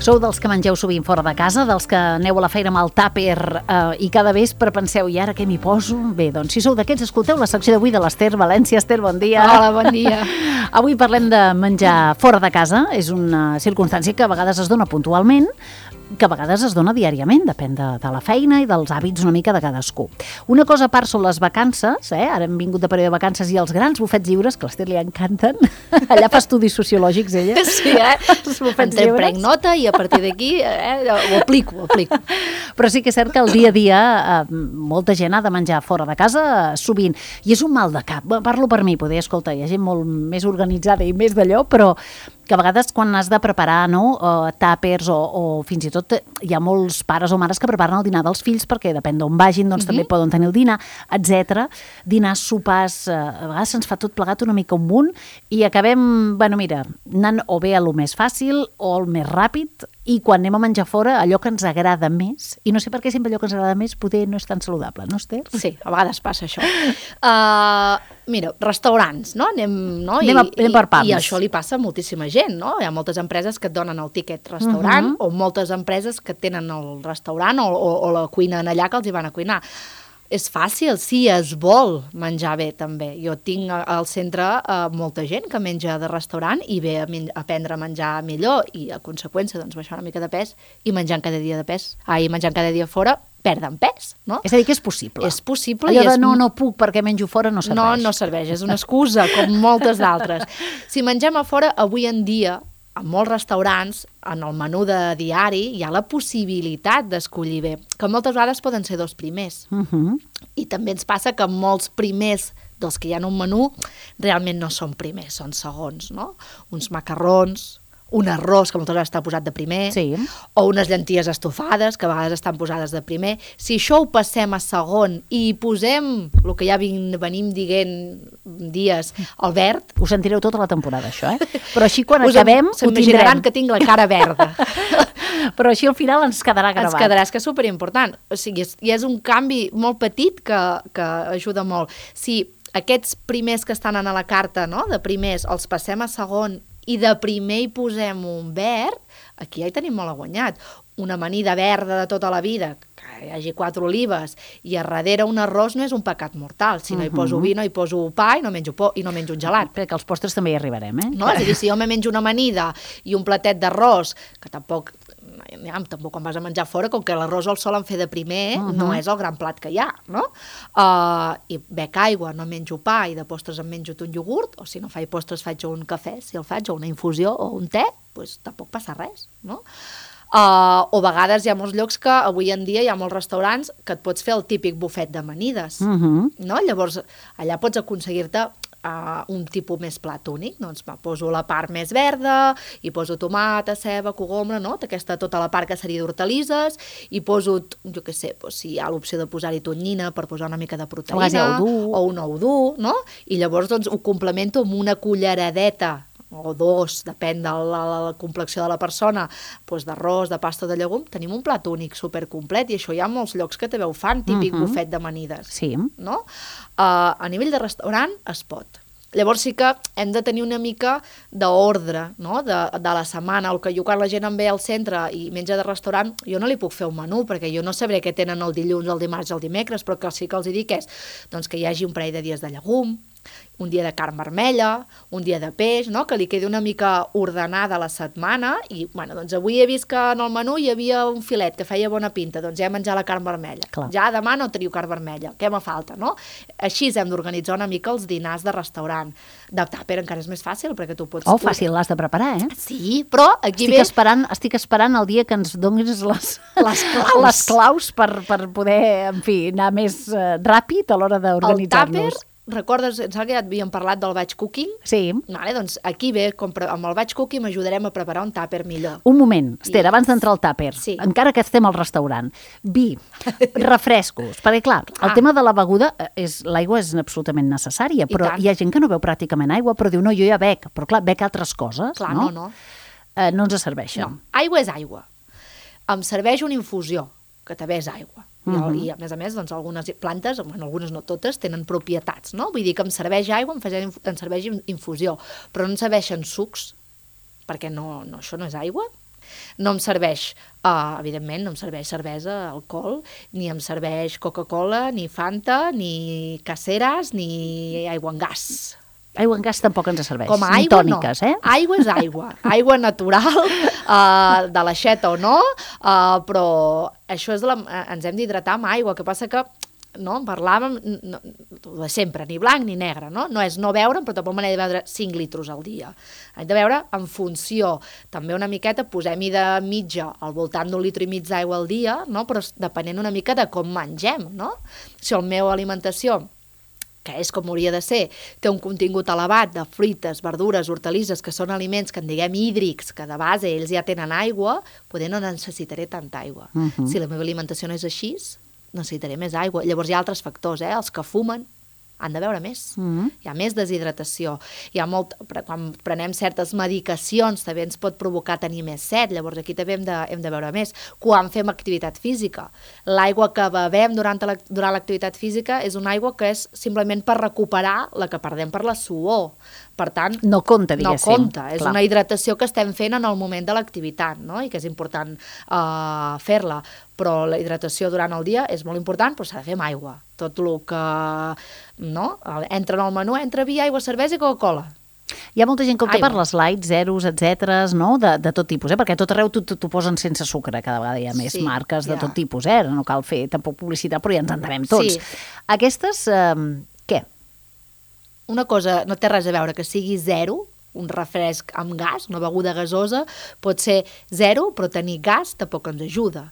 Sou dels que mengeu sovint fora de casa, dels que aneu a la feina amb el tàper i cada vespre penseu, i ara què m'hi poso? Bé, doncs si sou d'aquests, escolteu la secció d'avui de l'Ester València. Esther, bon dia. Hola, bon dia. Avui parlem de menjar fora de casa. És una circumstància que a vegades es dona puntualment, que a vegades es dona diàriament, depèn de la feina i dels hàbits una mica de cadascú. Una cosa a part són les vacances, ara hem vingut de període de vacances, i els grans bufets lliures, que a l'Ester li encanten. Allà fa estudis sociològics, ella. Sí, els bufets lliures. Prenc nota i a partir d'aquí ho aplico. Però sí que és cert que el dia a dia molta gent ha de menjar fora de casa sovint, i és un mal de cap. Parlo per mi, poder, escolta, hi ha gent molt més organitzada i més d'allò, però que a vegades quan has de preparar tàpers o fins i tot hi ha molts pares o mares que preparen el dinar dels fills perquè depèn d'on vagin, doncs també poden tenir el dinar, etc. Dinars, sopars, a vegades se'ns fa tot plegat una mica un munt i acabem, anant o bé a lo més fàcil o al més ràpid, i quan anem a menjar fora allò que ens agrada més, i no sé per què sempre allò que ens agrada més poder no és tan saludable, no, Esther? Sí, a vegades passa això. Mira, restaurants, no? Anem per pams. I això li passa a moltíssima gent, no? Hi ha moltes empreses que et donen el tiquet restaurant o moltes empreses que tenen el restaurant o la cuina en allà que els hi van a cuinar. És fàcil, si es vol menjar bé, també. Jo tinc al centre molta gent que menja de restaurant i ve a aprendre a menjar millor i, a conseqüència, doncs, baixar una mica de pes i menjant cada dia fora, perden pes, no? És a dir, que és possible. És possible. Allò de no puc perquè menjo fora no serveix. No serveix, és una excusa, com moltes d'altres. Si mengem a fora, avui en dia, a molts restaurants, en el menú de diari, hi ha la possibilitat d'escollir bé, que moltes vegades poden ser 2 primers. I també ens passa que molts primers dels que hi ha en un menú realment no són primers, són segons, no? Uns macarrons, un arròs que moltes vegades està posat de primer, o unes llenties estofades que a vegades estan posades de primer. Si això ho passem a segon i posem el que ja venim dient dies, el verd... Ho sentireu tota la temporada, això, Però així quan acabem ho tindrem. S'imaginaran que tinc la cara verda. Però així al final ens quedarà gravat. Ens quedarà, és que és superimportant. O sigui, és un canvi molt petit que ajuda molt. Si aquests primers que estan a la carta, no?, de primers, els passem a segon i de primer hi posem un verd, aquí ja hi tenim molt guanyat. Una amanida verda de tota la vida, que hi hagi 4 olives, i a darrere un arròs no és un pecat mortal. Si no hi poso vi, no hi poso pa i no menjo un gelat. Perquè als postres també hi arribarem, No? És a dir, si jo me menjo una amanida i un platet d'arròs, que tampoc quan vas a menjar fora, com que l'arròs el solen fer de primer, no és el gran plat que hi ha, no? I bec aigua, no menjo pa, i de postres em menjo un iogurt, o si no faig postres faig un cafè, si el faig, o una infusió, o un te, doncs tampoc passa res, no? O a vegades hi ha molts llocs que avui en dia hi ha molts restaurants que et pots fer el típic bufet d'amanides, no? Llavors, allà pots aconseguir-te un tipus més plat únic, doncs poso la part més verda, i poso tomata, ceba, cogombre, no? Tota la part que seria d'hortalisses, i poso, jo què sé, si hi ha l'opció de posar-hi tonyina per posar una mica de proteïna, o un ou dur, no? I llavors doncs ho complemento amb una culleradeta o 2, depèn de la complexió de la persona, doncs d'arròs, de pasta de llegum, tenim un plat únic supercomplet, i això hi ha molts llocs que també ho fan, típic bufet d'amanides. Sí. No? A nivell de restaurant es pot. Llavors sí que hem de tenir una mica d'ordre, no?, de la setmana, o que jo quan la gent em ve al centre i menja de restaurant, jo no li puc fer un menú, perquè jo no sabré què tenen el dilluns, el dimarts i el dimecres, però que sí que els dic és doncs, que hi hagi un parell de dies de llegum, un dia de carn vermella, un dia de peix, no?, que li quedi una mica ordenada la setmana, i doncs avui he vist que en el menú hi havia un filet que feia bona pinta, doncs ja he menjat la carn vermella. Clar. Ja demà no teniu carn vermella, què me falta, no? Així hem d'organitzar una mica els dinars de restaurant. De tàper encara és més fàcil, perquè tu pots... Fàcil, l'has de preparar, Sí, però aquí estic esperant el dia que ens donis les claus per poder, en fi, anar més ràpid a l'hora d'organitzar-nos. El tàper, recordes, em sembla que ja havíem parlat del batch cooking? Sí. Vale, doncs aquí ve, amb el batch cooking m'ajudarem a preparar un tàper millor. Un moment, Esther, abans d'entrar al tàper, encara que estem al restaurant, vi, refrescos, perquè clar, el tema de la beguda, l'aigua és absolutament necessària, però hi ha gent que no beu pràcticament aigua, però diu, no, jo ja bec, però clar, bec altres coses, clar, no? No ens serveixen. No, aigua és aigua. Em serveix una infusió, que també és aigua. I a més, doncs, algunes plantes, algunes no totes, tenen propietats, no? Vull dir que em serveix aigua, em serveix infusió, però no em serveixen sucs, perquè això no és aigua, No em serveix, evidentment, no em serveix cervesa, alcohol, ni em serveix Coca-Cola, ni Fanta, ni caceres, ni aigua en gas. Aigua en gas tampoc ens serveix. Com a ni aigua, tòniques, no. Aigua és aigua. Aigua natural, de l'aixeta o no, però això és ens hem d'hidratar amb aigua. El que passa que no, en parlàvem de sempre, ni blanc ni negre, no? No és no beure, però tampoc me n'he de beure 5 litres al dia. Hem de beure en funció, també una miqueta, posem-hi de mitja al voltant d'1,5 litres d'aigua al dia, no? Però depenent una mica de com mengem, no? Si la meva alimentació, que és com hauria de ser, té un contingut elevat de fruites, verdures, hortalisses, que són aliments que en diguem hídrics, que de base ells ja tenen aigua, poder no necessitaré tanta aigua. Si la meva alimentació no és així, necessitaré més aigua. Llavors hi ha altres factors, els que fumen han de beure més. Hi ha més deshidratació. Quan prenem certes medicacions també ens pot provocar tenir més set, llavors aquí també hem de beure més. Quan fem activitat física, l'aigua que bevem durant l'activitat física és una aigua que és simplement per recuperar la que perdem per la suor. Per tant, no compta, diguéssim. No compta, és una hidratació que estem fent en el moment de l'activitat, no? I que és important fer-la, però la hidratació durant el dia és molt important, però s'ha de fer amb aigua. Tot el que entra en el menú, entra vi, aigua, cervesa i Coca-Cola. Hi ha molta gent que opta per les light, zeros, etcètera, no? De tot tipus, perquè a tot arreu t'ho posen sense sucre, cada vegada hi ha més marques de tot tipus, no cal fer tampoc publicitat, però ja ens entenem tots. Aquestes, què? Una cosa no té res a veure que sigui zero, un refresc amb gas, una beguda gasosa, pot ser zero, però tenir gas tampoc ens ajuda.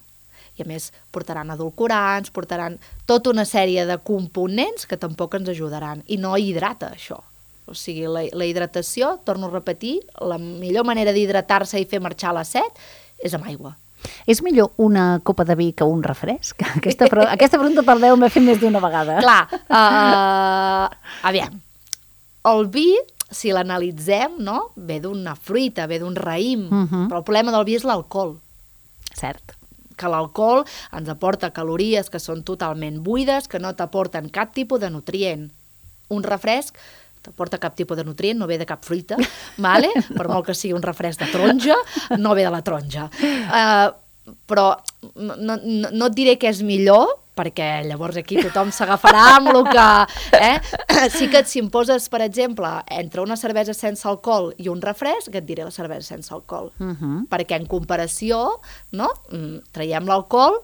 I a més portaran edulcorants, portaran tota una sèrie de components que tampoc ens ajudaran i no hidrata això. O sigui, la hidratació, torno a repetir, la millor manera d'hidratar-se i fer marxar la set és amb aigua. És millor una copa de vi que un refresc? Aquesta pregunta per Déu m'he fet més d'una vegada. Clar, aviam, el vi, si l'analitzem, no? Ve d'una fruita, ve d'un raïm, però el problema del vi és l'alcohol. Cert. Que l'alcohol ens aporta calories que són totalment buides, que no t'aporten cap tipus de nutrient. Un refresc t'aporta cap tipus de nutrient, no ve de cap fruita, vale? Per molt que sigui un refresc de taronja, no ve de la taronja. Però no et diré que és millor, perquè llavors aquí tothom s'agafarà amb el que... Sí que si em poses, per exemple, entre una cervesa sense alcohol i un refresc, et diré la cervesa sense alcohol. Perquè en comparació, no? Traiem l'alcohol,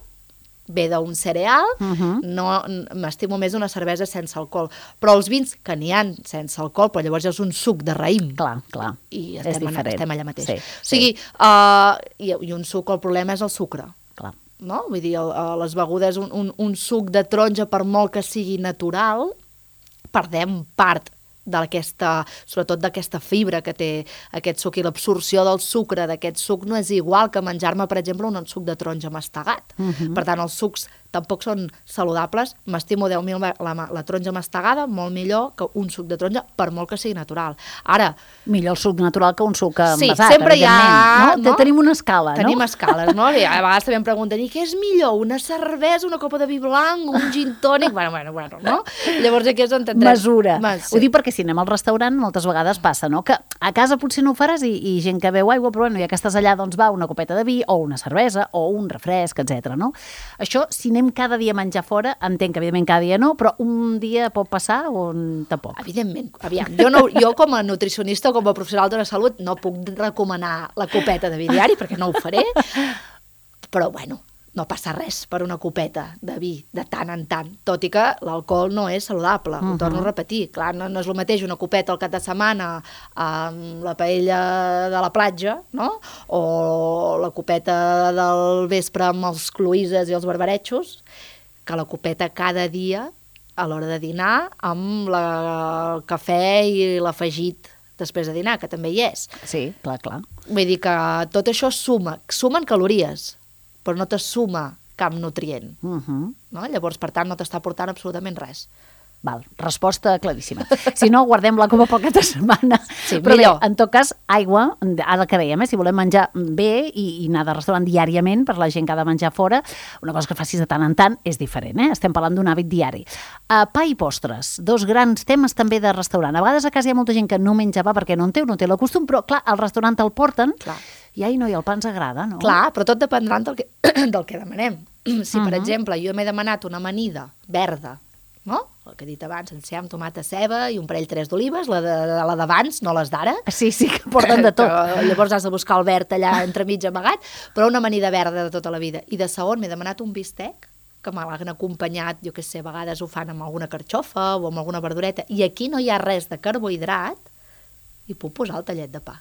ve d'un cereal, m'estimo més una cervesa sense alcohol. Però els vins, que n'hi ha sense alcohol, però llavors és un suc de raïm. Clar. I estem allà mateix. Sí. O sigui, i un suc, el problema és el sucre. Clar. No? Vull dir, les begudes, un suc de taronja, per molt que sigui natural, perdem part sobretot d'aquesta fibra que té aquest suc, i l'absorció del sucre d'aquest suc no és igual que menjar-me, per exemple, un suc de taronja mastegat. Per tant, els sucs tampoc són saludables. M'estimo 10.000 la taronja mastegada, molt millor que un suc de taronja, per molt que sigui natural. Ara... Millor el suc natural que un suc envasat, sí, sempre hi ha... No? Tenim una escala, no? Tenim escales, no? I a vegades també em pregunten, i què és millor? Una cervesa, una copa de vi blanc, un gin tònic? Bueno, no? Llavors aquí és on tindrem... Mesura. Ho dic perquè si anem al restaurant moltes vegades passa, no? Que a casa potser no ho faràs i gent que beu aigua, però bueno, ja que estàs allà, doncs va una copeta de vi o una cervesa o un refresc, etc. No? Això, si anem cada dia a menjar fora, entenc que evidentment cada dia no, però un dia pot passar o tampoc? Evidentment, aviam. Jo com a nutricionista o com a professional de la salut no puc recomanar la copeta de vi diari perquè no ho faré, però bueno, no passa res per una copeta de vi de tant en tant, tot i que l'alcohol no és saludable, ho torno a repetir. Clar, no és el mateix una copeta al cap de setmana amb la paella de la platja, no? O la copeta del vespre amb els cloïsses i els barbaretxos, que la copeta cada dia a l'hora de dinar amb el cafè i l'afegit després de dinar, que també hi és. Sí, clar. Vull dir que tot això sumen calories, però no te suma cap nutrient. No? Llavors, per tant, no t'està aportant absolutament res. Val, resposta claríssima. Si no, guardem-la com a poca setmana. Sí, però millor. Bé, en tot cas, aigua, ara que dèiem, si volem menjar bé i anar de restaurant diàriament, per la gent que ha de menjar fora, una cosa que facis de tant en tant és diferent, Estem parlant d'un hàbit diari. Pa i postres, dos grans temes també de restaurant. A vegades a casa hi ha molta gent que no menja pa perquè no en té el costum, però clar, al restaurant el porten. Clar. I ai, no, i el pa ens agrada, no? Clar, però tot dependrà del que demanem. Si, per exemple, jo m'he demanat una amanida verda, no? El que he dit abans, enciam, tomata, ceba i un parell 3 d'olives, la d'abans, no les d'ara. Sí, que porten de tot. Llavors has de buscar el verd allà entremig amagat, però una amanida verda de tota la vida. I de segon m'he demanat un bistec, que m'han acompanyat, jo què sé, a vegades ho fan amb alguna carxofa o amb alguna verdureta, i aquí no hi ha res de carbohidrat, i puc posar el tallet de pa.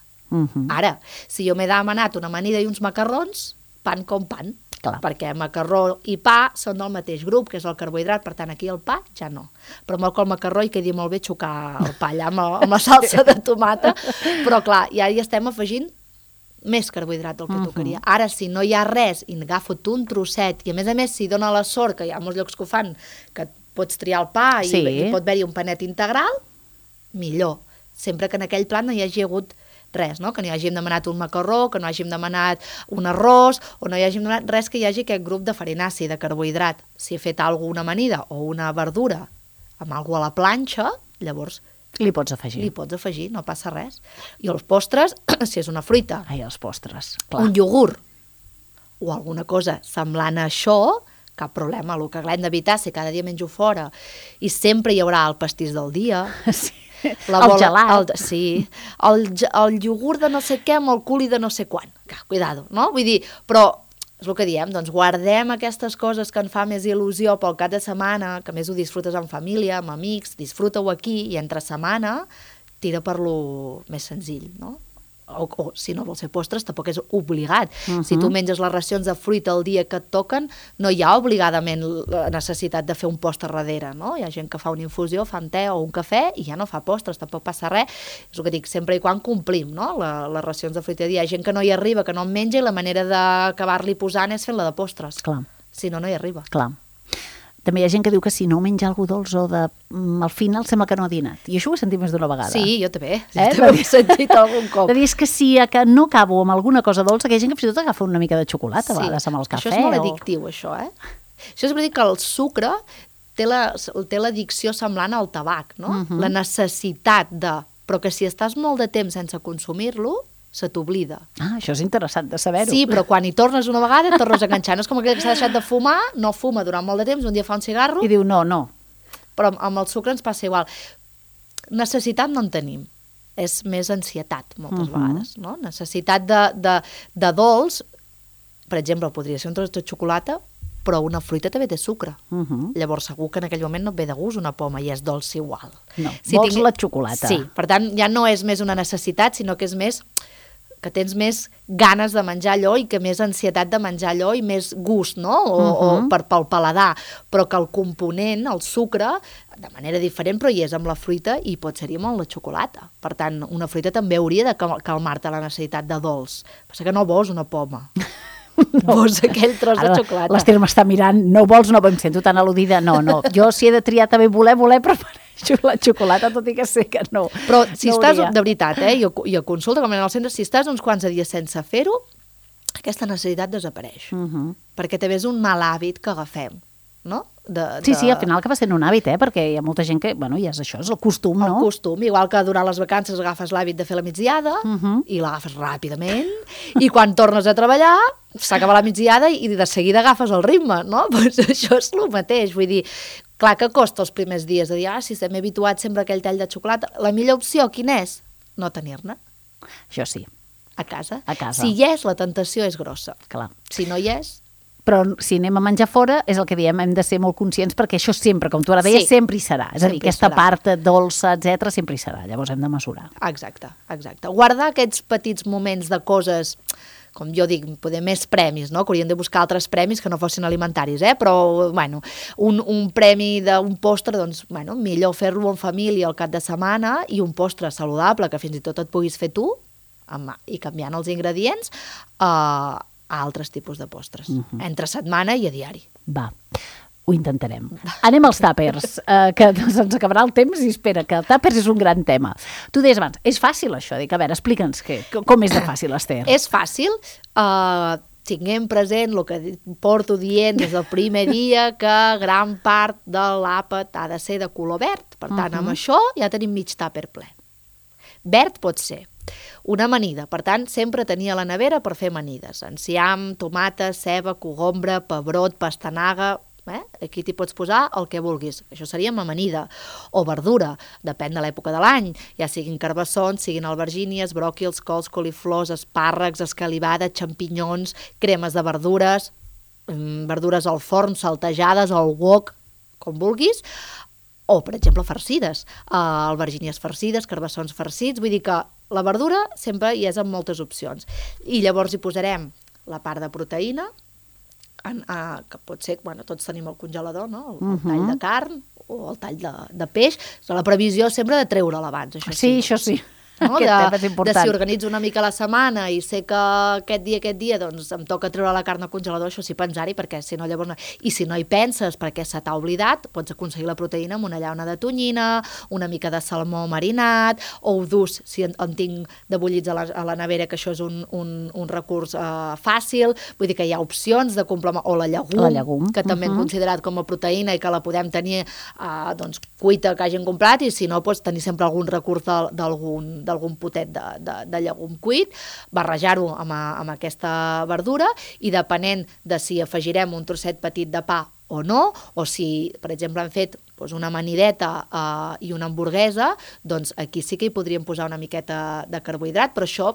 Ara, si jo m'he demanat una amanida i uns macarrons, pan com pan. Clar. Perquè macarró i pa són del mateix grup, que és el carbohidrat, per tant, aquí el pa ja no. Però molt que el macarró hi quedi molt bé xocar el pa allà amb la salsa de tomata, però clar, ja hi estem afegint més carbohidrat del que tocaria. Ara, si no hi ha res i agafo tu un trosset, i a més, si dona la sort, que hi ha molts llocs que ho fan, que pots triar el pa i pot haver-hi un panet integral, millor. Sempre que en aquell plat no hi hagi hagut res, no? Que no hi hàgim demanat un macarró, que no hàgim demanat un arròs, o no hi hàgim demanat res que hi hagi aquest grup de farinaci, de carbohidrat. Si he fet alguna amanida o una verdura amb alguna a la planxa, llavors li pots afegir, no passa res. I els postres, si és una fruita, els postres, clar. Un iogurt o alguna cosa semblant a això, cap problema. El que hem d'evitar, si cada dia menjo fora i sempre hi haurà el pastís del dia, sí. El gelat. El iogurt de no sé què amb el culi de no sé quan. Cuidado, no? Vull dir, però és el que diem, doncs guardem aquestes coses que en fa més il·lusió pel cap de setmana, que més ho disfrutes en família, amb amics, disfruta-ho aquí i entre setmana tira per lo més senzill, no? O si no vols fer postres, tampoc és obligat. Si tu menges les racions de fruita el dia que et toquen, no hi ha obligadament la necessitat de fer un postre darrere, no? Hi ha gent que fa una infusió, fa un te o un cafè i ja no fa postres, tampoc passa res. És el que dic, sempre i quan complim, no? Les racions de fruita. Hi ha gent que no hi arriba, que no en menja, i la manera d'acabar-li posant és fent-la de postres. Clar. Si no, no hi arriba. Clar. També hi ha gent que diu que si no menja algú dolç o al final sembla que no ha dinat. I això ho he sentit més d'una vegada. Sí, jo també. Jo també he sentit algun cop. De dir, és que si no acabo amb alguna cosa dolça, que hi ha gent que fins i tot agafa una mica de xocolata a vegades amb el cafè. Això és molt addictiu, això, Això és per dir que el sucre té l'addicció semblant al tabac, no? La necessitat de... Però que si estàs molt de temps sense consumir-lo, se t'oblida. Això és interessant de saber-ho. Sí, però quan hi tornes una vegada et tornes a enganxar. No és com aquell que s'ha deixat de fumar, no fuma durant molt de temps, un dia fa un cigarro... I diu, no. Però amb el sucre ens passa igual. Necessitat no en tenim. És més ansietat, moltes vegades, no? Necessitat de dolç, per exemple, podria ser un tros de xocolata, però una fruita també té sucre. Llavors segur que en aquell moment no et ve de gust una poma i és dolç igual. No, vols la xocolata. Sí, per tant, ja no és més una necessitat, sinó que és més que tens més ganes de menjar allò i que més ansietat de menjar allò i més gust, no? O pel paladar, però que el component, el sucre, de manera diferent, però hi és amb la fruita i pot ser-hi amb la xocolata. Per tant, una fruita també hauria de calmar-te la necessitat de dolç. Passa que no vols una poma. Vols aquell tros de xocolata. L'Ester m'està mirant, no vols, no, em sento tan al·ludida, no. Jo si he de triar també voler, prefereixo la xocolata, tot i que sé que no. Però si estàs, de veritat, i a consulta, com en el centre, si estàs uns quants dies sense fer-ho, aquesta necessitat desapareix. Perquè també és un mal hàbit que agafem, no? Sí, al final acaba sent un hàbit, perquè hi ha molta gent que, ja és això, és el costum, no? El costum, igual que durant les vacances agafes l'hàbit de fer la migdiada i l'agafes ràpidament i quan tornes a treballar s'acaba la migdiada i de seguida agafes el ritme, no? Doncs això és el mateix, vull dir, clar que costa els primers dies de dir, si estem habituats sempre a aquell tall de xocolata, la millor opció quina és? No tenir-ne. Això sí. A casa. Si hi és, la tentació és grossa. Clar. Si no hi és... Però si anem a menjar fora, és el que diem, hem de ser molt conscients perquè això sempre, com tu ara deies, sempre hi serà. És a dir, aquesta part dolça, etc sempre hi serà. Llavors hem de mesurar. Exacte. Guardar aquests petits moments de coses, com jo dic, poder més premis, no? Que haurien de buscar altres premis que no fossin alimentaris, però, un premi d'un postre, doncs, millor fer-lo en família al cap de setmana i un postre saludable que fins i tot et puguis fer tu, i canviant els ingredients, a altres tipus de postres, entre setmana i a diari. Va, ho intentarem. Anem als tàpers, que se'ns acabarà el temps i espera, que el tàpers és un gran tema. Tu deies abans, és fàcil això? Dic, a veure, explica'ns com és de fàcil, Ester. És fàcil, tinguem present el que porto dient des del primer dia, que gran part de l'àpat ha de ser de color verd. Per tant, amb això ja tenim mig tàper ple. Verd pot ser Una amanida, per tant, sempre tenia a la nevera per fer amanides. Enciam, tomata, ceba, cogombre, pebrot, pastanaga... Aquí t'hi pots posar el que vulguis. Això seria amb amanida. O verdura, depèn de l'època de l'any. Ja siguin carbassons, siguin albergínies, bròquils, cols, coliflors, espàrrecs, escalivada, xampinyons, cremes de verdures, verdures al forn, saltejades, al wok, com vulguis. O, per exemple, farcides. Albergínies farcides, carbassons farcits. Vull dir que la verdura sempre hi és amb moltes opcions. I llavors hi posarem la part de proteïna, que pot ser, tots tenim el congelador, no? El tall de carn o el tall de peix. La previsió sempre de treure'l abans, això sí. Sí, això sí. No? Aquest tema és important. De si organitzo una mica la setmana i sé que aquest dia doncs em toca treure la carn al congelador, això sí, pensar-hi, perquè si no llavors... I si no hi penses perquè se t'ha oblidat, pots aconseguir la proteïna amb una llauna de tonyina, una mica de salmó marinat, ous durs, si en tinc de bullits a la nevera, que això és un recurs fàcil. Vull dir que hi ha opcions de complementar, o la llegum, que també hem considerat com a proteïna i que la podem tenir doncs, cuita que hagin comprat, i si no, pots tenir sempre algun recurs d'algun potet de llegum cuit, barrejar-ho amb aquesta verdura, i depenent de si afegirem un trosset petit de pa o no, o si, per exemple, hem fet una amanideta i una hamburguesa, doncs aquí sí que hi podríem posar una miqueta de carbohidrat, però això,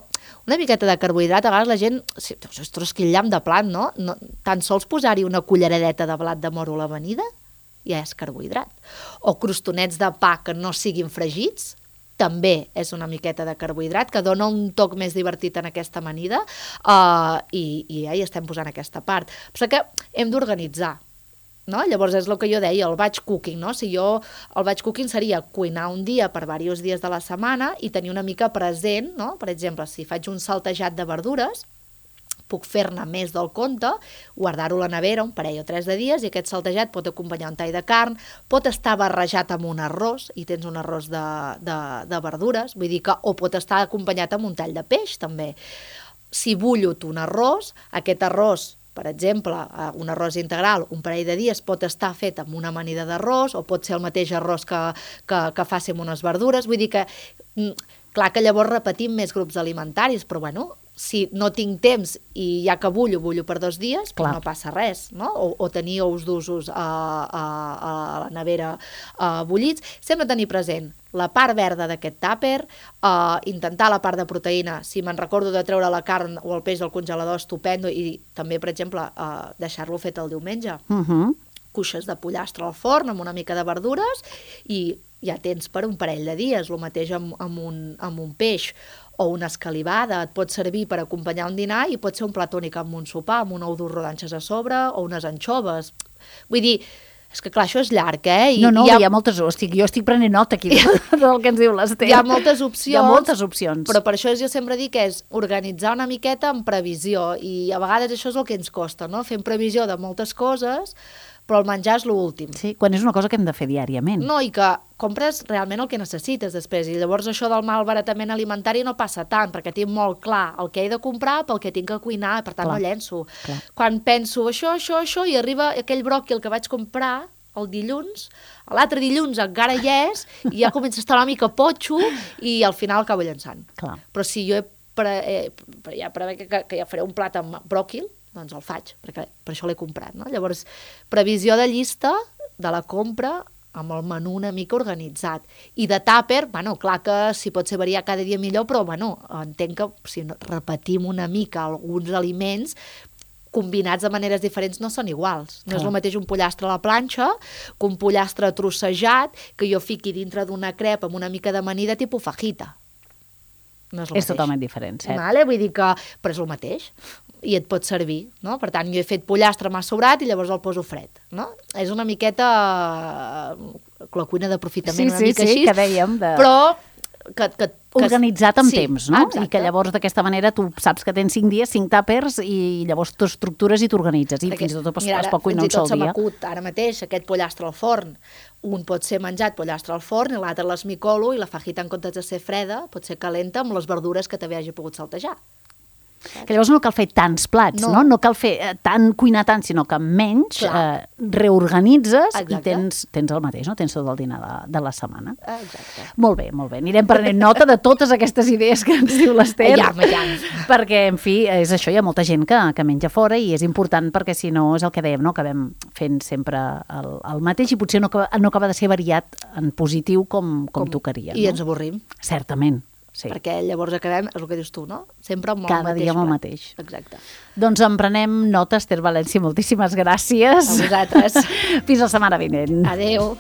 una miqueta de carbohidrat, a vegades la gent, ostres, quin llamp de plat, no? Tan sols posar-hi una culleradeta de blat de moro a l'amanida ja és carbohidrat. O crostonets de pa que no siguin fregits, també és una miqueta de carbohidrat, que dona un toc més divertit en aquesta amanida, i ja hi estem posant aquesta part. Però que hem d'organitzar, no? Llavors és el que jo deia, el batch cooking, no? El batch cooking seria cuinar un dia per diversos dies de la setmana i tenir una mica present, no? Per exemple, si faig un saltejat de verdures, puc fer-ne més del compte, guardar-ho a la nevera un parell o 3 de dies, i aquest saltejat pot acompanyar un tall de carn, pot estar barrejat amb un arròs, i tens un arròs de verdures, vull dir que, o pot estar acompanyat amb un tall de peix, també. Si bullo un arròs, aquest arròs, per exemple, un arròs integral, un parell de dies pot estar fet amb una amanida d'arròs, o pot ser el mateix arròs que faci amb unes verdures, vull dir que, clar que llavors repetim més grups alimentaris, però bueno, si no tinc temps i ja que bullo per 2 dies, doncs no passa res, no? O tenir ous d'usos a la nevera bullits. Sempre tenir present la part verda d'aquest tàper, intentar la part de proteïna, si me'n recordo de treure la carn o el peix del congelador, estupendo, i també, per exemple, deixar-lo fet el diumenge. Cuixes de pollastre al forn amb una mica de verdures, i ja tens per un parell de dies. El mateix amb un peix o una escalivada, et pot servir per acompanyar un dinar, i pot ser un plat únic amb un sopar, amb un ou dur rodanxes a sobre o unes anxoves. Vull dir, és que clar, això és llarg, eh? No, hi ha moltes... Jo estic prenent nota aquí del que ens diu l'Ester. Hi ha moltes opcions. Hi ha moltes opcions. Però per això jo sempre dic que és organitzar una miqueta en previsió, i a vegades això és el que ens costa, no? Fem previsió de moltes coses, però el menjar és l'últim. Sí, quan és una cosa que hem de fer diàriament. No, i que compres realment el que necessites després, i llavors això del malbaratament alimentari no passa tant, perquè tinc molt clar el que he de comprar pel que tinc que cuinar, per tant no llenço. Quan penso això, i arriba aquell bròquil que vaig comprar el dilluns, l'altre dilluns encara hi és, i ja comença a estar una mica potxo, i al final acabo llençant. Però si jo ja prevec que ja faré un plat amb bròquil, doncs el faig, perquè per això l'he comprat, no? Llavors, previsió de llista de la compra amb el menú una mica organitzat. I de tàper, bueno, clar que si pot ser variar cada dia millor, però bueno, entenc que si repetim una mica alguns aliments, combinats de maneres diferents no són iguals. No és el mateix un pollastre a la planxa que un pollastre trossejat que jo fiqui dintre d'una crepa amb una mica d'amanida tipus fajita. No és totalment diferent, cert. Vale? Vull dir que... Però és el mateix, i et pot servir, no? Per tant, jo he fet pollastre, m'ha sobrat, i llavors el poso fred, no? És una miqueta la cuina d'aprofitament, una mica així. Sí, que dèiem. Però organitzat amb temps, no? Exacte. I que llavors d'aquesta manera tu saps que tens 5 dies, 5 tàpers, i llavors t'estructures i t'organitzes, i fins i tot es pot cuinar un sol dia. Fins i tot se m'acut ara mateix aquest pollastre al forn. Un pot ser menjat pollastre al forn, i l'altre l'esmicolo, i la fajita, en comptes de ser freda, pot ser calenta amb les verdures que també hagi pogut saltejar. Que llavors no cal fer tants plats, no? No cal fer cuinar tant, sinó que menys reorganitzes i tens el mateix, no? Tens tot el dinar de la setmana. Exacte. Molt bé, molt bé. Anirem prenent nota de totes aquestes idees que ens diu l'Ester. Perquè, en fi, és això, hi ha molta gent que menja fora i és important perquè si no és el que dèiem, no? Acabem fent sempre el mateix i potser no acaba de ser variat en positiu com tocaria. I ens avorrim. Certament. Sí. Perquè llavors acabem, és el que dius tu, no? Sempre amb el cada mateix dia amb el plat. mateix. Exacte. Doncs en prenem nota, Ester València, moltíssimes gràcies. A vosaltres. Fins la setmana vinent. Adéu.